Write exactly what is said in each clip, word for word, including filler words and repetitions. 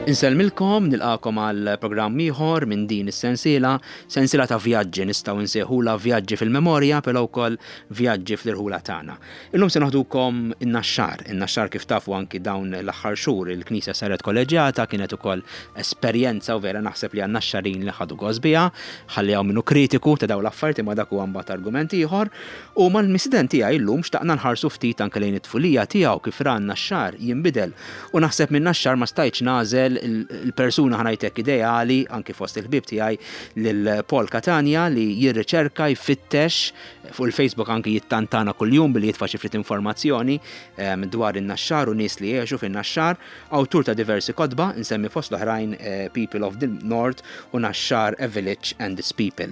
Insellmilkom, nilqagħkom għal programm ieħor minn din is-sensiela, sensiela ta' vjaġġi, nistgħu nsejħula vjaġġi fil-memorja, però wkoll vjaġġi fl-irħula tagħna. Illum se noħdukom in-Naxxar. In-Naxxar, kif tafu, anki dawn l-aħħar xhur il-Knisja saret kolleġjata, kienet ukoll esperjenza u vera naħseb li għan-Naxxarin li ħadu gost biha, ħalli hawn minnu kritiku ta' dawn l-affarijiet, imma dak huwa mbagħad argument ieħor. U mal-mistieden tiegħi llum xtaqna nħarsu ftit anke lejn it-tfulija tiegħu, kif ra n-Naxxar jinbidel. U naħseb minn Naxxar ma stajtx nagħżel il-persuna, ħa ngħidlek, ideali anki fost il-ħbieb tiegħi, lil Paul Catania, li jirriċerka, jfittex fuq il-Facebook, anki jittantana kuljum billi jitfa' xi ftit informazzjoni em, dwar in-Naxxar u nies li jgħixu fin-Naxxar, awtur ta' diversi kotba, insemmi fost l-oħrajn eh, People of the North u Naxxar, A Village and Its People.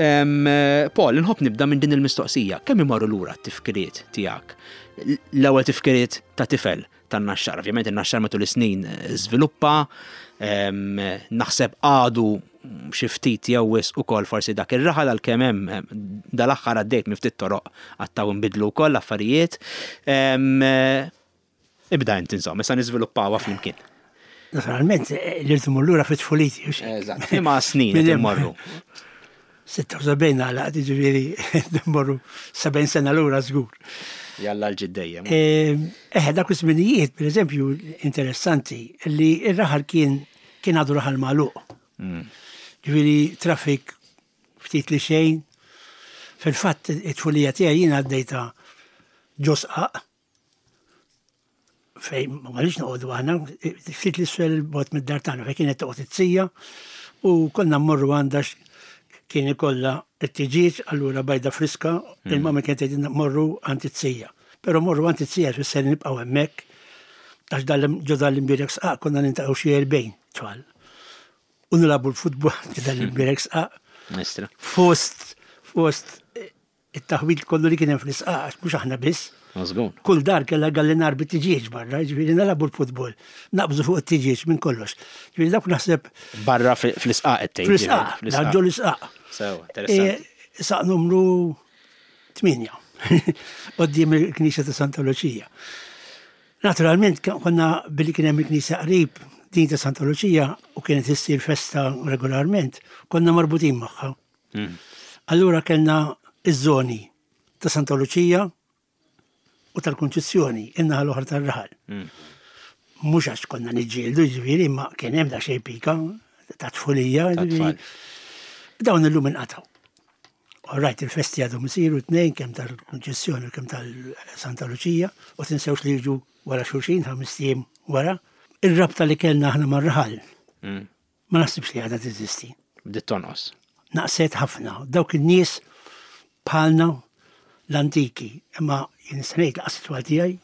Em, eh, Paul, nħobb nibda minn din il-mistoqsija. Kemm imorru lura t-tifkiriet tiegħek? L-ewwel tifkiriet ta' tifel tan-Naxxar. Ovvjament in-Naxxar matul is-snin eh, żviluppa, em, naħseb għadu xi ftit jew wisq ukoll forsi dak ir-raħal, għalkemm hemm em, dal-aħħar għaddejt minn ftit toroq għattaw nbidlu wkoll affarijiet. Em, eh, Ibda int, insomma, issa niżviluppawha flimkien. Naturalment, eh, li rridu lura fit-tfuliti. Hux hekk? Eżatt, imma snin qed Minn hemm- immorru. sitta u sebgħin għala, ġifieri, mmorru sebgħin sena lura żgur. Jalla l-ġiddejjem. Eh, dak iż-żminijiet, per eżempju, interessanti, li ir-raħal kien kien għadu raħal magħluq. Ġifieri traffic ftit li xejn. Fil-fatt, it-tfulija tiegħi jien għaddejta ġo sqaq, fejn ma għalix noqogħdu aħna, ftit 'l isfel bogħod mid-dar tagħna, fejn kienet toqgħod it-tija u konna mmorru għandha, kien ikollha it-tiġieġ, allura bajda friska, il-mama kienet tgħidilna morru għand it-tija. Però morru għand it-tija tfisser nibqgħu hemmhekk, għax ġo dal-imbierek sqaq konna niltaqgħu xi erbgħin tfal. U nilagħbu l-futbol ġo dal-imbierek sqaq. Mistra. Fost, fost it-taħwit kollu li kien hemm fl-isqaq, għax mhux aħna biss. Żgur. Kull dar kellha gallinar bit-tiġieġ barra, ġifieri nilagħbu l-futbol, naqbżu fuq it-tiġieġ minn kollox. Ġifieri dak naħseb Barra fi- fl-isqaq qed tgħid. Fl-isqaq, ġo l-isqaq. Sew, interessanti. E, Saq numru tmienja, quddiem il-Knisja ta' Santa Lucia. Naturalment, konna billi kien hemm il-Knisja qrib din ta' Santa Lucia u kienet issir festa regolarment, konna marbutin magħha. Mm. Allura kellna iż-żoni ta' Santa Lucia u tal-Konċizzjoni, in-naħa l-oħra tar-raħal. Mm. Mhux għax konna niġġieldu, ġifieri, ma kien hemm da xejn pika ta' tfulija, Ta' ġifieri. tfal. Dawn illum inqataw. All right, il-festi għadhom isiru tnejn, kemm tal-Konċessjoni u kemm tal-Santa Lucia, u tinsewx li jiġu wara xulxin, ħames ijiem wara. Ir-rabta li kellna aħna mar-raħal Mm. ma naħsibx li għadha teżisti. Bdiet tonqos. Naqset ħafna. Dawk in-nies bħalna l-antiki, imma jien ngħid lanqas it-tfal tiegħi,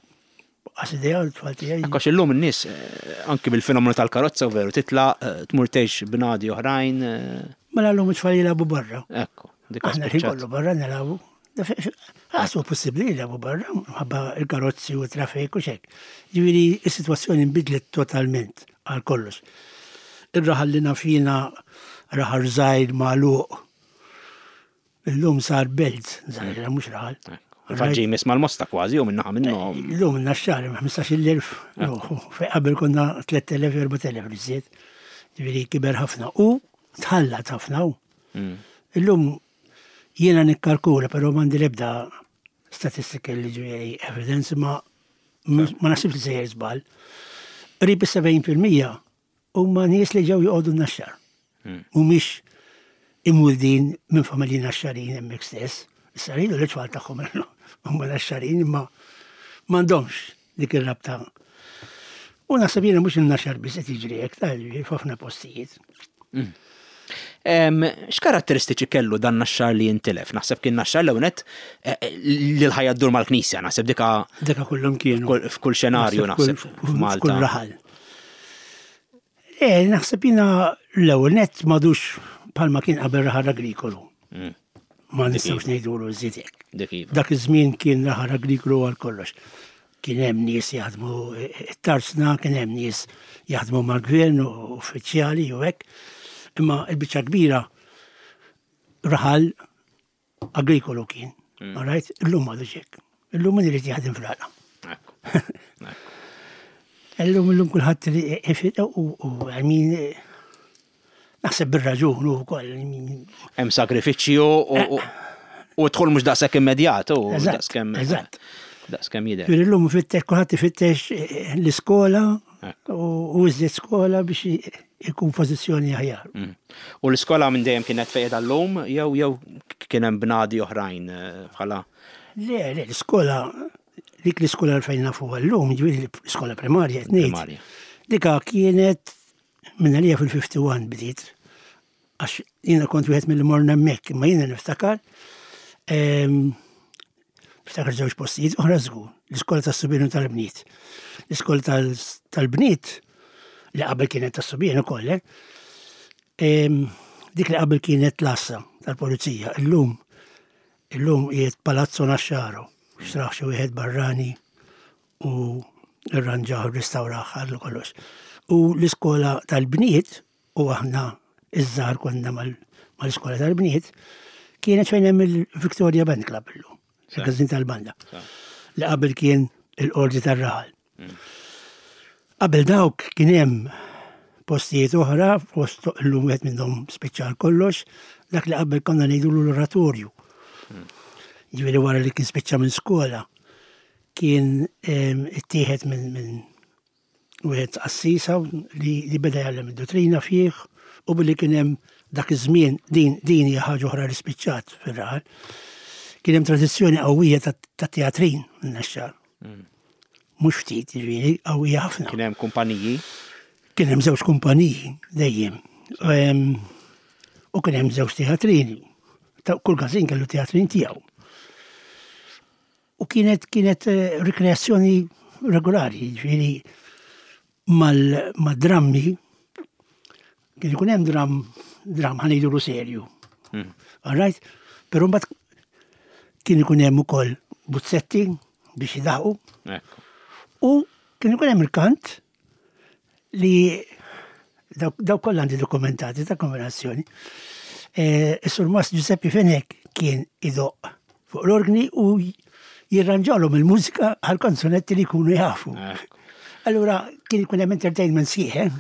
lanqas idea l-tfal tiegħi. Għax illum in-nies eh, anki bil-fenomenu tal-karozza u veru titla eh, tmur tgħix bnadi oħrajn. eh, Mela llum it-tfal jilagħbu barra. Ekku, dik Aħna li spiċċat. kollu barra nilagħbu. Għasu possibli jilagħbu barra, mħabba il-karozzi u traffiku xek. Ġifieri, is-sitwazzjoni nbidlet totalment għal kollox. Ir-raħal li naf jiena, raħal żgħir magħluq. Illum sar belt żgħira, mhux raħal. Faġġi jmiss mal-Mosta kważi u minnaħa minnhom. Illum in-Naxxar ħmistax-il elf, fejn qabel konna tlett elef, erbat elef iżjed. Ġifieri kiber ħafna u tħallat ħafna u. Mm. Illum jiena nikkalkula, però m'għandi l-ebda statistika li, ġifieri, evidence, ma ma naħsibx li sejjer żball. Qrib is-sebgħin fil-mija huma nies li ġew joqogħdu n-Naxxar. Mm. Mhumiex imwildin minn familji Naxxarin hemmhekk stess. Issa rridu li tfal tagħhom huma Naxxarin, imma m'għandhomx dik ir-rabta. U naħseb jiena mhux in-Naxxar biss qed jiġri hekk, ta' f'ħafna postijiet. Em, X'karatteristiċi kellu dan Naxxar li jintilef? Naħseb kien Naxxar l-ewwel li l-ħajja ddur mal-Knisja, naħseb dika Deka kullum kienu. f'kull- f'kull xenarju naħseb F'kull f'Malta. raħal. Le, naħseb jiena l-ewwel net m'għadux bħalma kien qabel raħal agrikolu. Mm. Ma nistgħux ngħidulu żied hekk. Dik iva. Dak iż-żmien kien raħal agrikolu għal kollox. Kien hemm nies jaħdmu it-tarzna, kien hemm nies jaħdmu mal-gvern u uffiċjali u hekk. Imma l-biċċa kbira raħal agrikolu kien. Mm. All right? Illum m'għadux hekk. Illum min irid jaħdem fl-għalqa. Ekku. Ekku. Illum illum kulħadd u I mean naħseb bir-raġun ukoll. Hemm sagrifiċċju u u dħul mhux daqshekk immedjat u daqskemm. Eżatt. Daqskemm jidher. Illum ifittex kulħadd ifittex l-iskola u iżjed skola biex ikun pożizzjoni aħjar. Mm. U l-iskola minn dejjem kienet fejn llum jew jew kien hemm bnadi oħrajn eh, bħala? Le, le, l-iskola dik l-iskola fejn nafu llum, ġifieri l-iskola primarja qed ngħid. Dika kienet minn għalija fil-ħamsa u ħamsin bdiet, għax jiena kont wieħed mill morna hemmhekk, imma jiena niftakar niftakar żewġ postijiet oħra żgur, l-iskola tas-subien u tal-bniet. L-iskola tal-bniet li qabel kienet tas-subien ukoll, eh? Dik li qabel kienet l-għassa tal-pulizija, illum illum qiegħed Palazzo Naxxaro, xtrah xi wieħed barrani u rranġaw, restawraħ għallu kollox. U l-iskola tal-bniet, u aħna iż-żgħar konna mal-iskola tal-bniet, kienet fejn hemm il-Victoria Band Club illum, il-każin tal-banda. Li qabel kien il-qorti tar-raħal. Mm. Qabel dawk kien hemm postijiet oħra, post illum wieħed minnhom speċjal kollox, dak li qabel konna ngħidu l-oratorju. Mm. Ġifieri wara li kien spiċċa minn skola, kien ittieħed minn min wieħed qassisa li, li beda jgħallem id-dottrina fih u billi kien hemm dak iż-żmien din din hija ħaġa oħra li spiċċat fir-raħal. Kien hemm tradizzjoni qawwija ta' teatrin n-Naxxar. Mm. Mhux ftit, ġifieri, qawwija ħafna. Kien hemm kumpaniji? Kien hemm żewġ kumpaniji dejjem. U kien hemm żewġ teatrini. Kull każin kellu teatrin tiegħu. U kienet kienet eh, rikreazzjoni regolari, ġifieri mal-drammi kien ikun hemm dram dram ħa ngħidu serju. Hmm. All right? Però mbagħad kien ikun hemm ukoll buzzetti biex jidaħqu. U kien ikun hemm il-kant li daw kollha għandi dokumentati ta' kombinazzjoni. Eh, Is-Surmast Giuseppe Fenech kien idoq fuq l-organi u jirranġalhom il-mużika għal kanzunetti li jkunu jafu. Allura kien ikun hemm entertainment sħiħ. Eh?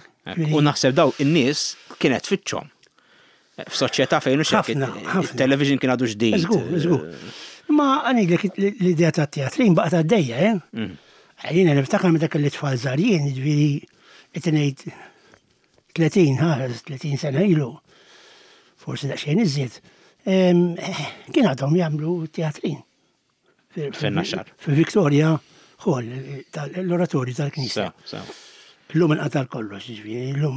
U naħseb daw in-nies kienet tfittxhom. F'soċjetà fejn hux il-television kien għadu ġdid. Żgur, żgur. Ma għanidlek l-idea ta' teatrin baqgħet għaddejja, eh? Mm. Jiena niftakar meta kelli tfal żgħar jien, ġifieri qed ngħid tletin, ħa, tletin sena ilu, forsi daqsxejn iżjed, kien għadhom jagħmlu teatrin. Fin-Naxxar. Fil-Victoria Hall, l-oratorju tal-Knisja. Illum inqata' kollox, ġifieri, illum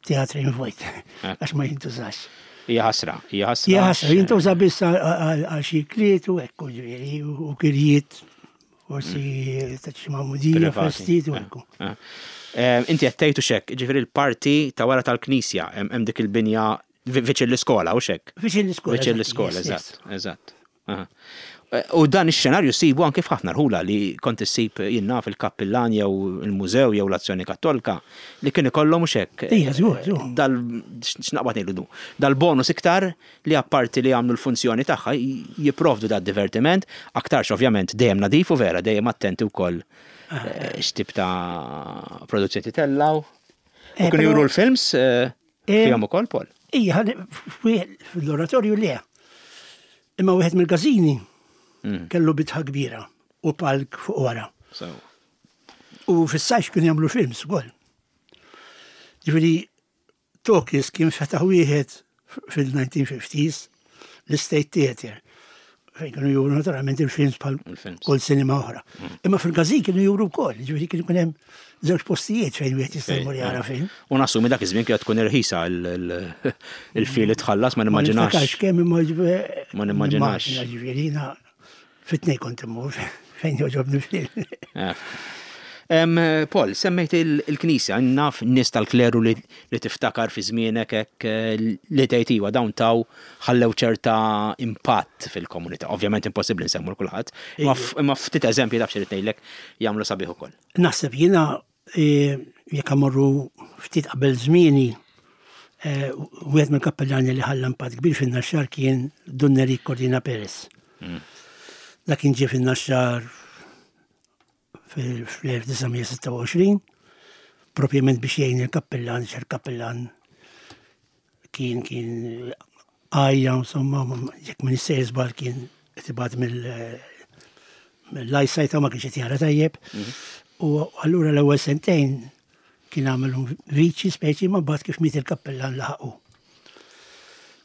teatrin vojt, eh. għax ma jintużax. Hija ħasra, hija ħasra. Hija ħasra, jintuża biss għal xi kliet u ekku, ġifieri, u kirjiet, forsi mm. ta' xi magħmudija, festijiet u ekku. Eh, eh. Inti qed tgħidu xek, ġifieri l-parti ta' wara tal-Knisja, hemm dik il-binja viċin l-iskola u xek. Viċin l-iskola. Viċin l-iskola, eżatt, eżatt. U dan ix-xenarju sibu anke f'ħafna rħula li kont issib jinnna fil-kappillan jew il-mużew jew l-Azzjoni Kattolika li kien ikollhom mhux hekk. Ija, żgur, żgur. Dal x'naqbad ngħidu dal-bonus iktar li apparti li jagħmlu l-funzjoni tagħha jipprovdu da divertiment, aktarx ovvjament dejjem nadif u vera dejjem attenti wkoll eh, x'tip ta' produzzjoni tellaw. U kienu juru l-films eh, fihom ukoll, Paul. Ija, fil-oratorju le. Imma wieħed mill-każini mm. kellu bitħa kbira u palk fuq wara. U fis-sajf kienu jagħmlu films ukoll. Ġifieri talkies kien fetaħ wieħed fil-nineteen fifties, l-State Theatre. Fejn kienu juru naturalment il-films bħal kull cinema oħra. Mm. Imma fil-każin kienu juru wkoll, ġifieri kienu jkun hemm żewġ postijiet fejn wieħed jista' jmur jara film. U nassumi dak iż-żmien kienet tkun irħisa il-fee li tħallas, ma nimmaġinax. Ma kemm imma Ma nimmaġinax. Ġifieri jiena fit-tnejn kont immur fejn joġobni film. Paul, semmejt il-Knisja, naf nies tal-kleru li tiftakar fi żmienek hekk eh, li tgħid iwa dawn taw ħallew ċerta impatt fil-komunità. Ovvjament impossibbli nsemmu kulħadd, imma ftit eżempji taf xi ngħidlek jagħmlu sabiħ ukoll. Naħseb jiena eh, jekk amorru ftit qabel żmieni, eh, wieħed mill-kappellani li ħalla impatt kbir fin-Naxxar kien Dun Nerik Cordina Perez. Mm. Dak kien ġie fin-Naxxar fil-elf disa' mija sitta u għoxrin Propjament biex jgħin il-kappillan, il-kappillan kien kien għajja, insomma, jekk minn is-sejr kien qed mill-eyesight ma kienx qed jara tajjeb. Mhm. U allura l-ewwel sentejn kien għamilhom viċi speċi ma mbagħad kif miet il-kappellan laħaqu.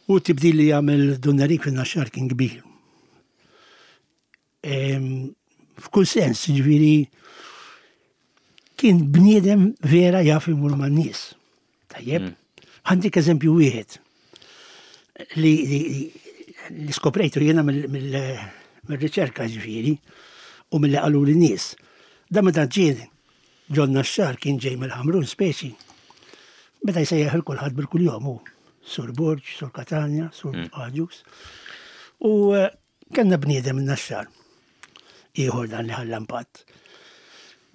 U tibdil li għamel Dun Nerik fin-Naxxar kien kbir. F'kull sens, ġifieri, kien bniedem vera jaf imur man-nies. Tajjeb, mm. Għandik eżempju wieħed li, li, li skoprejtu jiena mill-riċerka ġifieri u mill-li qalu l-nies. Da meta ġie ġon-Naxxar kien ġej mill-Ħamrun speċi. Meta jsejjaħ il kulħadd bil-kuljom hu. Sur Borg, Sur Katanja, Sur mm. Agius. U eh, kellna bniedem in-Naxxar. Ieħor dan li ħalla impatt.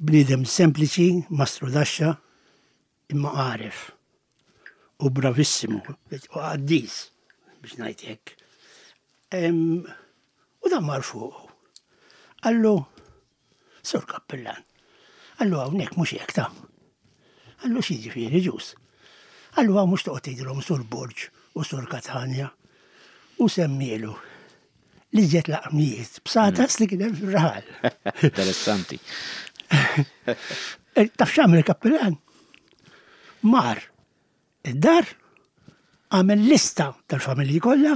Bniedem sempliċi, mastru daxxa, imma għaref. U bravissimu, u qaddis, biex ngħid hekk. U dan mar fuq. Qallu, Sur Kappillan, qallu hawnhekk mhux hekk ta. Qallu x'jiġifieri ġus. Qallu hawn mhux toqgħod tgħidilhom Sur Borg u Sur Katanja. U semmielu li ġiet laqmijiet bsatas li kien hemm fir-raħal. Interessanti. Eh, taf x'għamel il-kappillan? Mar id-dar għamel lista tal-familji kollha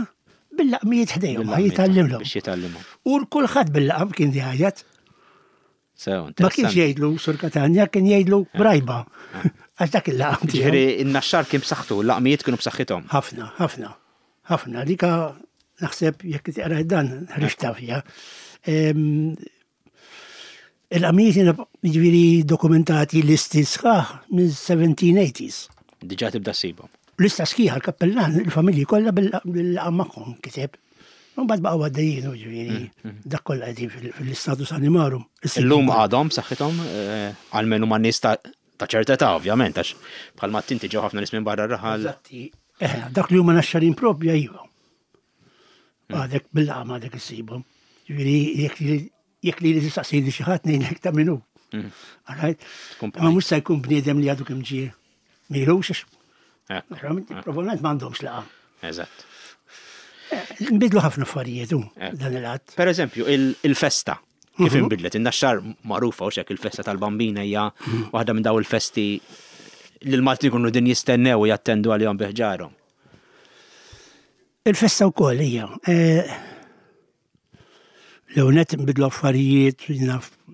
bil-laqmijiet ħdejhom, jitgħallimhom. Biex jitgħallimhom. U kulħadd bil-laqam kien jgħajjat. Ma kienx jgħidlu Sur Katanja, kien jgħidlu eh. Brajba. Eh. Għax dak il-laqam. Ġifieri in-Naxxar kien b'saħħtu, l-laqmijiet kienu b'saħħithom. Ħafna, ħafna. Ħafna. Dika naħseb jekk tiqra dan ħriġta fiha. Il-laqmijiet jiġifieri dokumentati listi sħaħ minn seventeen eighties. Diġà tibda ssibhom. Lista sħiħa l-kappellan, il-familji kollha bil-laqam magħhom kiteb. Mbagħad baqgħu għaddejjin ġifieri mm, mm. dak kollha qegħdin fil-status animarum. Illum għadhom b'saħħithom eh, għalmenu ma' nies ta' ċerta età ovvjament għax bħalma tinti ġew ħafna nies minn barra r-raħal. Eżatti. Eh, dak li huma Naxxarin propja iva. Mm. Għadek bil-laqam għadek issibhom. Ġifieri jekk li tistaqsini xi ħadd ngħidlek ta' min hu. Ma mhux se jkun bniedem li għadu kemm ġie milux. Probabbilment m'għandhomx laqam. Eżatt. Eh, nbidlu ħafna affarijiet dan il-għadd. Per eżempju, il-festa. Kif mhm. inbidlet? In-Naxxar magħrufa u xek il-festa tal-Bambina hija mhm. waħda minn daw il-festi li l-Maltin kunu din jistennew u jattendu għalihom biħġarhom. Il-festa wkoll hija. Eh, l-ewwel nbidlu affarijiet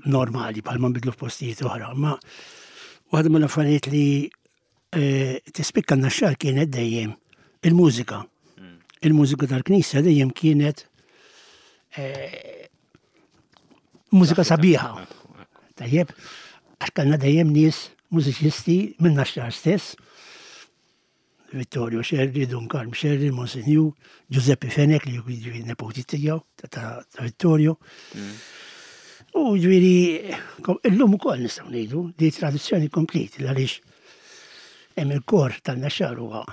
normali bħalma nbidlu f'postijiet oħra, ma waħda mill-affarijiet li eh, tispikka n-Naxxar kienet dejjem il-mużika. Hmm. Il-mużika tal-knisja dejjem kienet eh, mużika sabiħa. Tajjeb, għax kellna dejjem nies mużiċisti minn Naxxar stess. Vittorio Scerri, Dun Karm Scerri, Monsinjur, Giuseppe Fenech li ġifieri nepoti tiegħu ta' Vittorio. Mm. U ġifieri, illum ukoll nistgħu ngħidu li tradizzjoni komplet għaliex hemm il-kor tan-Naxxar huwa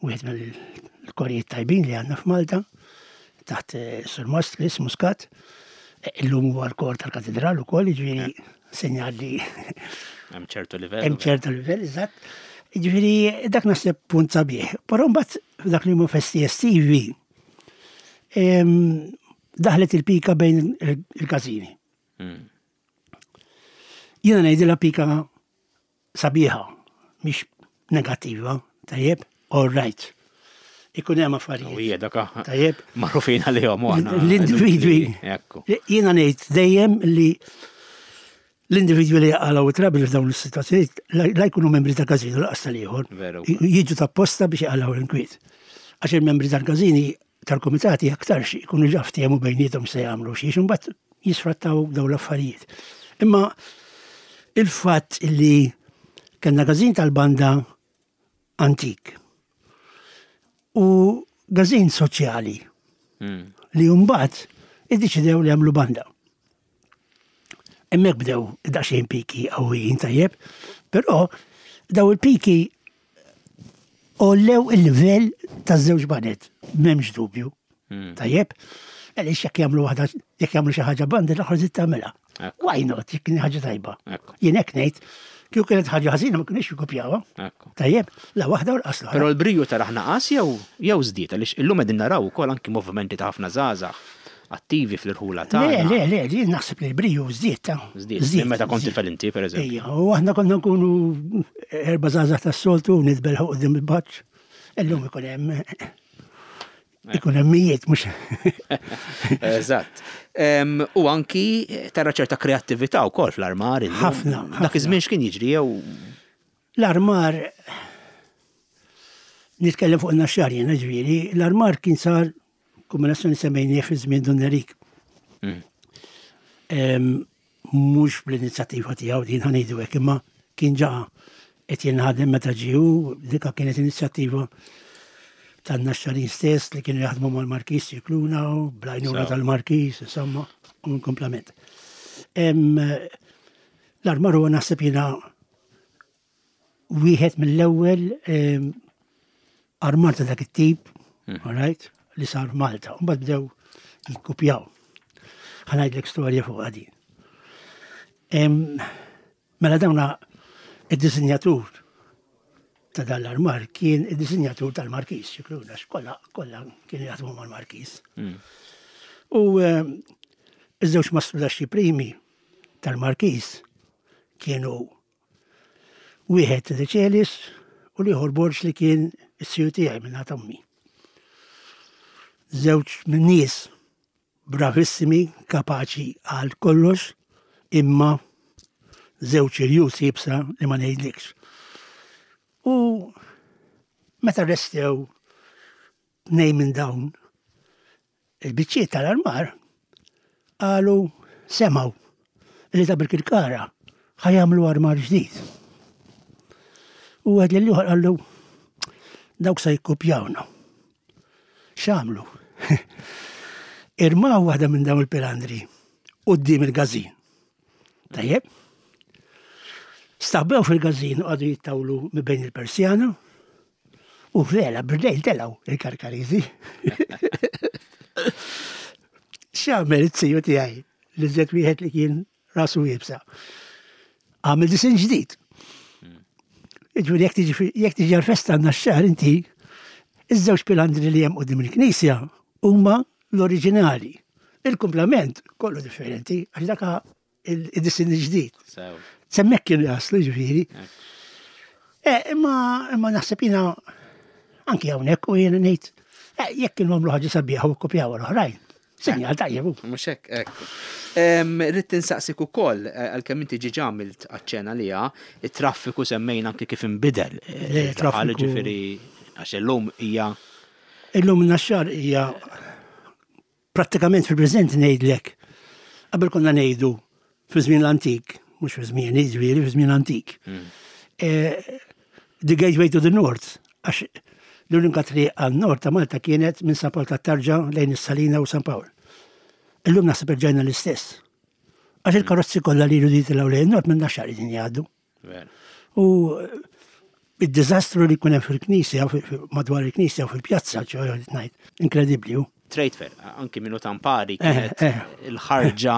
wieħed mill-korijiet tajbin li għandna f'Malta taħt eh, Sur Mostris Muscat. Eh, illum huwa l-kor tal-katedral ukoll, ġifieri sinjal li hemm ċertu livell. Hemm ċertu livell, eżatt. Ġifieri dak naħseb punt sabiħ. Però mbagħad dak li huma festi estivi daħlet il-pika bejn il-każini. Hmm. Jiena ngħidilha pika sabiħa, mhix negattiva, tajjeb, all right. Ikun hemm affarijiet. U hija daka. Tajjeb. Magħrufin għalihom aħna. L-individwi. Jiena ngħid dejjem li l-individwi li jaqalgħu trouble f'dawn is-sitwazzjonijiet la jkunu membri ta' każin u lanqas tal-ieħor. Jiġu ta' posta biex jaqalgħu l-inkwiet. Għax il-membri tal-każini tal-komitati aktarx ikunu ġa ftehmu bejniethom se jagħmlu xi mbagħad jisfrattaw dawn l-affarijiet. Imma il-fatt li kellna każin tal-banda antik u każin soċjali hmm. li mbagħad iddeċidew li jagħmlu banda. Hemmhekk bdew daqsxejn piki qawwijin tajjeb, però daw il-piki għollew il-livell taż-żewġ baned, m'hemmx dubju. Hmm. Tajjeb, għaliex jekk jagħmlu waħda jekk jagħmlu xi ħaġa banda l-oħra żid tagħmilha. Why not, jekk ħaġa tajba. Jien hekk ngħid, Kieku kienet ħaġa ħażina ma kinux jikkopjawha. Ekku. Tajjeb, la waħda u l-qasla. Però l-briju taraħ naqas jew jew żdied, għaliex illum qegħdin naraw ukoll anki movimenti ta' ħafna żgħażagħ attivi fl-irħula Le, tagħna. le, le, li naħseb li l-briju żdied ta' Żdied, minn meta kont tifel inti, pereżempju. Ejja, u aħna konna nkunu erba' żgħażagħ tas-soltu u nitbelħu quddiem il-baċċ. Illum ikun hemm ikun hemm mijiet mhux. Eżatt. Em, U anki tara ċerta kreattività wkoll fl-armar illum. Ħafna, Dak ħafna. iż-żmien x'kien jiġri jew L-armar nitkellem fuq in-Naxxar jiena ġifieri, l-armar kien sar kombinazzjoni semmejnieh fi żmien Dun Nerik. Mm. Em, Mhux bl-inizjattiva tiegħu din ħa ngħidu hekk, imma kien ġa qed jinħadem meta ġie hu, dika kienet inizjattiva tan-Naxxarin stess li kienu jaħdmu mal-Markis Scicluna u bl-għajnuna Sew. tal-Markis, insomma, u komplement. Em, L-armar huwa naħseb jiena wieħed mill-ewwel em, armar ta' dak it-tip, all right, li sar Malta. U mbagħad bdew jikkupjaw. Ħa ngħidlek storja fuq din. Em, Mela dawna id-disinjatur ta' dan l-armar kien id-disinjatur tal-Markis, Scicluna, kollha kollha kienu jaħdmu mal-Markis. Mm. U em, iż-żewġ mastrudaxxi primi tal-Markis kienu wieħed De Celis u l-ieħor Borġ li kien is-siju tiegħi minn ommi. Żewġ minn nies bravissimi, kapaċi għal kollox, imma żewġ irjus iebsa li ma ngħidlikx. U meta restew tnejn minn dawn il-biċċiet tal-armar, qalu semgħu li ta' Birkirkara ħa jagħmlu armar ġdid. U għed l-ieħor qallu dawk sa jikkupjawna. X'għamlu? Irmaw waħda minn dawn il-pilandri quddiem il-gazin. Tajjeb? Staħbew fil-gazin u għadu jittawlu minn bejn il-Persjana u vera b'dejl telgħu il-Karkariżi. X'għamel it-siju tiegħi li żed wieħed li kien rasu iebsa. Għamel disin ġdid. Ġifieri jekk tiġi fi- jekk tiġi għal-festa għandna x-xahar inti, iż-żewġ pilandri li hemm quddiem il-knisja huma l-oriġinali. Il-kumplament kollu differenti għax daka il-disin ġdid. Sew. S'hemmhekk kienu jaslu ġifieri. Eh, imma imma naħseb jiena anki hawnhekk u jiena ngħid eh, jekk kienu għamlu ħaġa sabiħa u kopjaw l-oħrajn. Sinjal tajjeb hu. Mhux hekk, ekku. Em, Rrid tinsaqsik ukoll, eh, għalkemm inti ġiġa għamilt aċċena liha, it-traffiku semmejna anki kif inbidel. eh, Le, il-raħal, traffiku- Ġifieri, għax illum hija Illum Naxxar hija prattikament fil-preżent ngħidlek. Qabel konna ngħidu fi żmien l-antik, mhux fi żmien jiġifieri fi żmien antik. Eh, The gateway to the north, għax l-unika triq għan-nord ta' Malta kienet minn San Pawl tat-Tarġa lejn is-Salina u San Pawl. Illum naħseb erġajna l-istess. Għax il-karozzi kollha li jridu jitilgħu lejn nord minn Naxxar qegħdin jgħaddu. Vera. U id-diżastru li jkun hemm fil-knisja, fi- fi- madwar il-knisja u fil-pjazza, ċoħ ngħid, inkredibbli hu. Trade fair, anki minnu tampari Eh, kienet eh. il-ħarġa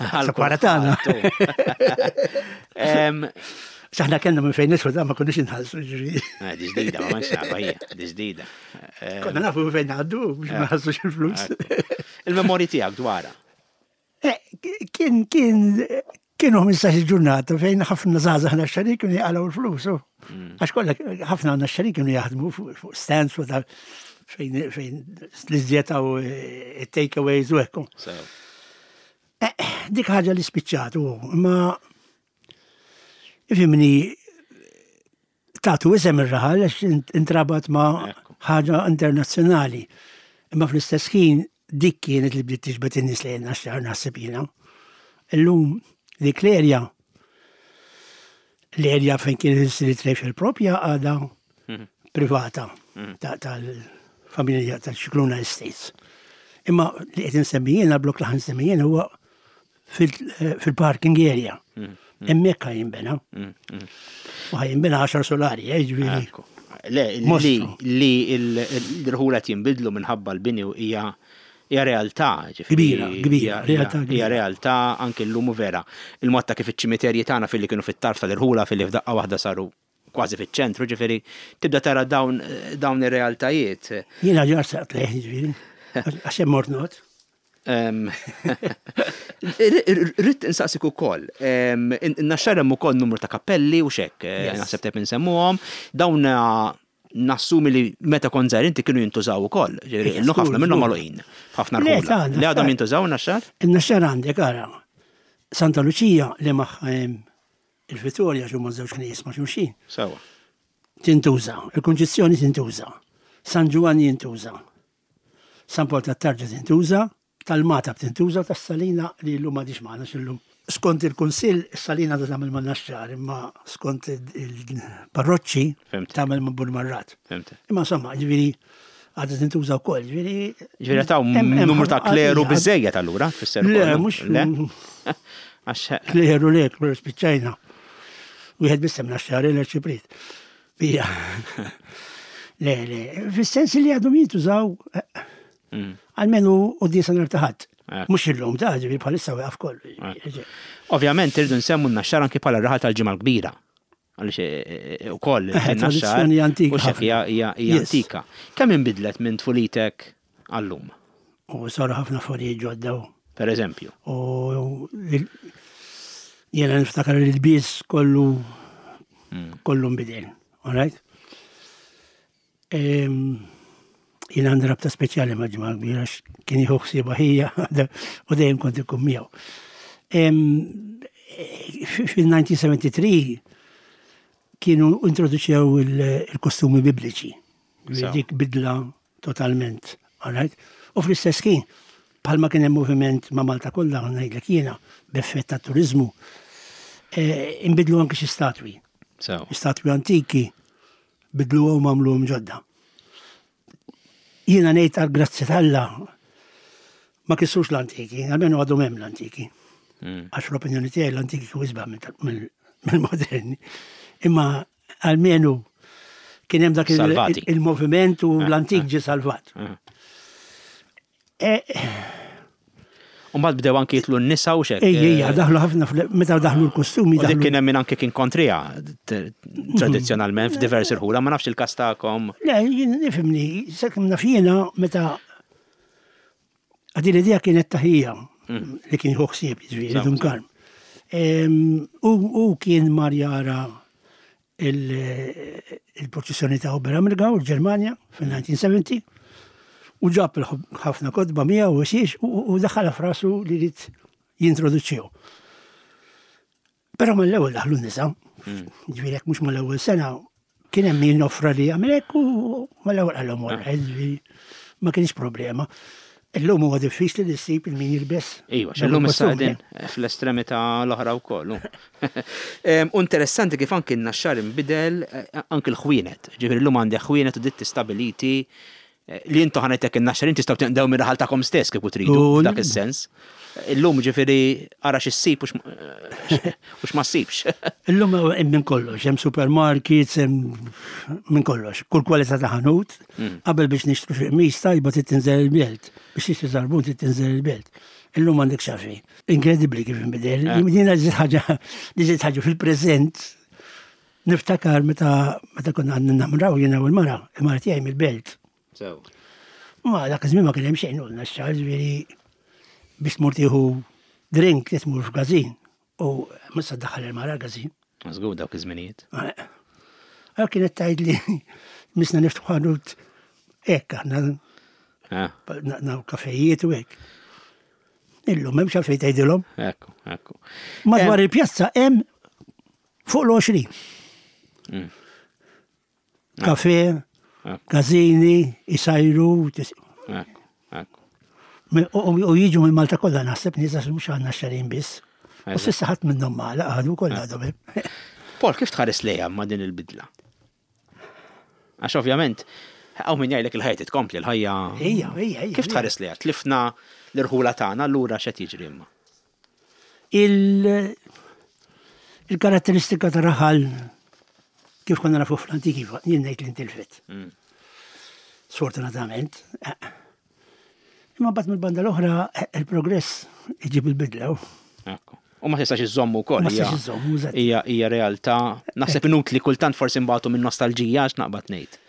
għal Separata tagħna. kulħadd. Em, Saħna kellna minn fejn nidħlu da ma konniex inħallsu ġifieri. eh, Di ġdida, ma manx nafha hija, di ġdida. Eh, Konna nafu minn fejn ngħaddu biex ma nħallsux il-flus. Il-memorji tiegħek dwarha. Eh, Kien kien kienu ħmistax ġurnata fejn ħafna żgħażagħ Naxxarin kienu jaqalgħu l-flus. u. Għax kollha ħafna Naxxarin kienu jaħdmu fuq fuq stands u ta' fejn fejn l-iżjed u takeaways u hekk. Sew. Eh, Dik ħaġa li spiċċat u imma ifhimni tagħtu isem ir-raħal għax int- intrabat ma' Ekku. ħaġa internazzjonali. Imma fl-istess ħin dik kienet li bdiet tiġbed in-nies lejn Naxxar naħseb jiena. Illum dik l-erja l-erja fejn kienet issir trade propja għadha privata ta- tal-familja tal-Scicluna Estates. Imma li qed insemmi jiena, l-blok li ħa nsemmi jiena huwa fil- eh, fil-parking area. Hemmhekk ħa jinbena. U ħa jinbena għaxar solari, eh, ġifieri. Ekku. Le, li, Mostru. li l-rħula jinbidlu minħabba l-bini u hija Hija realtà, ġifieri. Kbira, kbira, realtà Hija kbira. Realtà anke llum u vera. Il-mod ta' kif iċ-ċimiterji tagħna filli kienu fit-tarf tal-irħula filli f'daqqa waħda saru kważi fiċ-ċentru, ġifieri tibda tara dawn dawn ir-realtajiet. Jiena ġar saqt leħ, ġifieri. Għax hemm mort not. Em, Rrid insaqsik ukoll. em, In-Naxxar hemm ukoll numru ta' kappelli u xek, eh, Yes. naħseb tep insemmuhom. Dawn eh, nassumi li meta kont żgħir inti kienu jintużaw ukoll. Ġifieri, Yes, illum ħafna żgur, minnhom żgur. magħluqin. Ħafna Le, rħula. ta' Li għadhom Naxxar. jintużaw Naxxar? In-Naxxar għandek ara. Santa Lucia li magħha hemm il-Vittoria x'huma żewġ knejjes ma' xulxin. Sewa. Tintuża, il-Kunċizzjoni tintuża, San Ġwanni jintuża, San Pawl tat-Tarġa tintuża, tal-Magħtab tintuża, tas-Salina li llum m'għadix magħna x'illum. Skont il-Kunsill, is-Salina ta' tagħmel ma' Naxxar, imma skont il-parroċċi Fhimt. tagħmel ma' Burmarrad. Fhimt. Imma insomma, ġifieri għadha tintuża wkoll, ġifieri. Ġifieri taw hemm- hemm numru ta' ħafna- kleru għad- biżejjed allura, tfisser Le, ukoll, mhux Le? Għax Kleru le, kleru spiċċajna. Wieħed biss hemm Naxxar l-Arċipriet. Bija. Le, le, fis-sens li għadhom jintużaw eh, Mm. almenu u disa nhar ta' Ħadd. Ekku. Mhux illum ta' ġifieri bħalissa wieqaf kollu. Ovvjament irridu nsemmu n-Naxxar anki bħala r-raħal tal-Ġimgħa l-Kbira. Għaliex eh, eh, ukoll Eh, in-Naxxar tradizzjoni antika u xek ħafna. hija hija hija Yes. antika. Kemm inbidlet minn tfulitek għallum, U saru ħafna affarijiet ġodda u- per eżempju? u il- jiena niftakar li l-bies kollu kollu nbidel, all right? Em, Jiena għandi rabta speċjali ma' Ġimgħa Kbira għax kien jieħu ħsiebha ħija u dejjem kont ikun miegħu. Em, Fil-elf disa' mija u tlieta u sebgħin kienu introduċew il- il-kostumi bibliċi. So. Dik bidla totalment, all right? U fl-istess kien, bħalma kien hemm moviment ma' Malta kollha ngħidlek jiena b'effett ta' turizmu, eh, inbidlu anke xi statwi. So, Statwi antiki bidluhom għamluhom ġodda. Jiena ngħid għal grazzi t'Alla ma kissux l-antiki, almenu għadhom hemm l-antiki. mm. Għax l-opinjoni tiegħi l-antiki kieku isbaħ mill- mill-moderni. Imma almenu kien hemm dak il- Salvati. il-moviment u Eh, l-antik eh. ġie salvat. Eh. Eh, U mbagħad bdew anki jitlu n-nisa u xek. Ejja, ejja, daħlu ħafna, fl- meta daħlu l-kostumi, U dik daħlu. kien hemm min anke kien kontrija t- tradizzjonalment f'diversi rħula, ma nafx il-każ tagħkom. Le, jien nifhimni, sakemm naf jiena meta għadi l-idea kienet taħija li kien jieħu ħsieb, jiġifieri, Sew, Dun sew. Karm. Em, U u kien mar jara il- il-proċessjoni ta' Oberammergau, il-Ġermanja, fil-elf disa' mija u sebgħin, u ġab il- ħafna kotba miegħu u xiex u u daħħalha f'rasu li jrid jintroduċihu. Però mill-ewwel daħlu n-nisa, ġifieri jekk mhux mal-ewwel sena, kien hemm min offra li jagħmel hekk u mal-ewwel qalhom wara, ġifieri ma kienx problema. Illum huwa diffiċli li ssib il-min jilbes. Iva, dawn xellum issa il-kostumi. qegħdin fl-estremità l-oħra wkoll. Em, U interessanti kif anki n-Naxxar inbidel eh, anki l-ħwienet. Ġifieri llum għandek ħwienet u ditti stabiliti eh, li intu ħanetek in-Naxxar inti tistgħu tinqdew minn raħal tagħkom stess kieku tridu U- f'dak is-sens. Illum ġifieri ara x'issib u x'ma ssibx. Illum hemm minn kollox, hemm supermarkets, hemm minn kollox. Kull kwalità ta' ħanut, qabel biex nixtru xi qmis tajba trid tinżel il-belt, biex tixtri żarbun trid tinżel il-belt. Illum għandek xafi. Inkredibbli kif inbidel. Eh. Jiena ġiet ħaġa li ġiet ħaġa fil-preżent. Niftakar meta meta konna għandna namraw jiena u l-mara, il-mara tiegħi mill-belt. So. Ma dak iż-żmien ma kien hemm xejn u x-xahar ġifieri biex tmur tieħu drink li tmur f'gażin. U mhux se ddaħħal il-mara l-gażin. Żgur dawk iż-żminijiet. Għal kienet tgħid li misna niftħu ħanut hekk aħna Ah, naw kafejiet u hekk. Illum hemm xalfejn tgħidilhom. Ekku, ekku. Madwar il-pjazza hemm fuq l-għoxrin. Mm. Kafe, Ekku, gazini, isajru, tis- ekku, ekku. U u jiġu minn Malta kollha naħseb nies għax mhux għandna xarin biss. U Eżatt. s'issa ħadd minnhom magħlaq għadu kollha għadhom hemm. Paul, kif tħares lejha ma' din il-bidla? Għax ovvjament, hawn min jgħidlek il-ħajja titkompli, l-ħajja. Ejja, ejja, ejja. Kif tħares lejha? Tlifna l-irħula tagħna, allura x'qed jiġri imma? Il- Il-karatteristika ta' raħal kif konna nafu fl-antiki, jien ngħid li ntilfet. Mm. Sfortunatament. Eh. Imma mbagħad mill-banda l-oħra il-progress iġib il-bidla. Ekku. U ma tistax iżommu wkoll. Ma hija- tistax iżommu, eżatt. Hija hija realtà. Naħseb inutli kultant forsi nbatu minn nostalġija għax naqbad ngħid.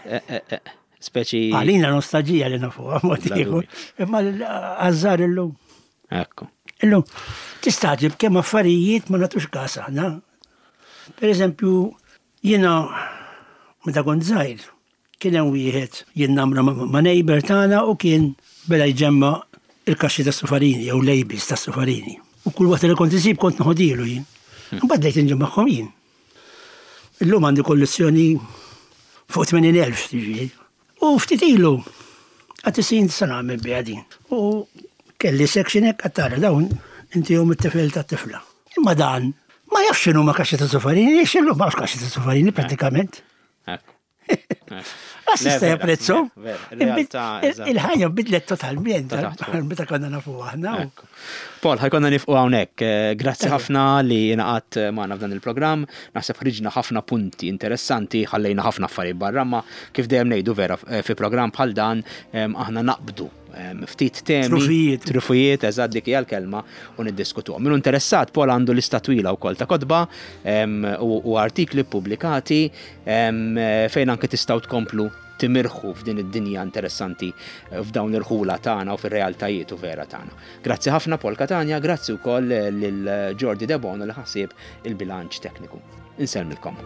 Eh, eh, eh, Speċi. Għalina nostalġija li nafuha mod Bla ieħor. Imma għaż-żgħar illum. Ekku. Illum tistaġib kemm affarijiet ma nagħtux każ aħna. Per eżempju, jiena meta kont żgħir, kien hemm wieħed jien namra ma' ma' neighbor tagħna u kien beda jġemma il-kaxxi ta' sufarini jew labels ta' sufarini. U kull waqt li kont isib kont noħodilu jien. Mbagħad bdejt inġemmagħhom jien. Illum għandi kollezzjoni fuq tmenin elf tiġi. U ftit ilu, għedt x'se nagħmel biha din. U kelli section hekk għattara dawn intihom it-tifel ta' tifla. Imma dan, ma jafx x'inhu ma kaxxi ta' sufarini, x'inhu ma kaxxi ta' sufarini pratikament. Ekku. Għax Le, jista' vera, japprezzu. vera, vera. Realtà, eżatt. Il-ħajja bidlet totalment Ta' taħt fuq. meta konna nafu aħna. Ekku. Paul, ħa jkollna nieqfu hawnhekk. Eh, Grazzi ħafna li ingħaqadt magħna f'dan il-programm. Naħseb ħriġna ħafna punti interessanti, ħallejna ħafna affarijiet barra, ma kif dejjem ngħidu vera eh, fi programm bħal dan em, aħna naqbdu em, ftit temi, Trufijiet. trufijiet, eżatt dik hija l-kelma u niddiskutuhom. Min hu interessat, Paul għandu lista twila wkoll ta' kotba em, u, u artikli pubblikati em, fejn anke tistgħu tkomplu timirħu f'din id-dinja interessanti eh, f'dawn ir-ħula tagħna u fir-realtajiet u vera tagħna. Grazzi ħafna, Paul Catania, grazzi wkoll lil Jordi Debono li ħa ħsieb il-bilanċ tekniku. Insellmilkom.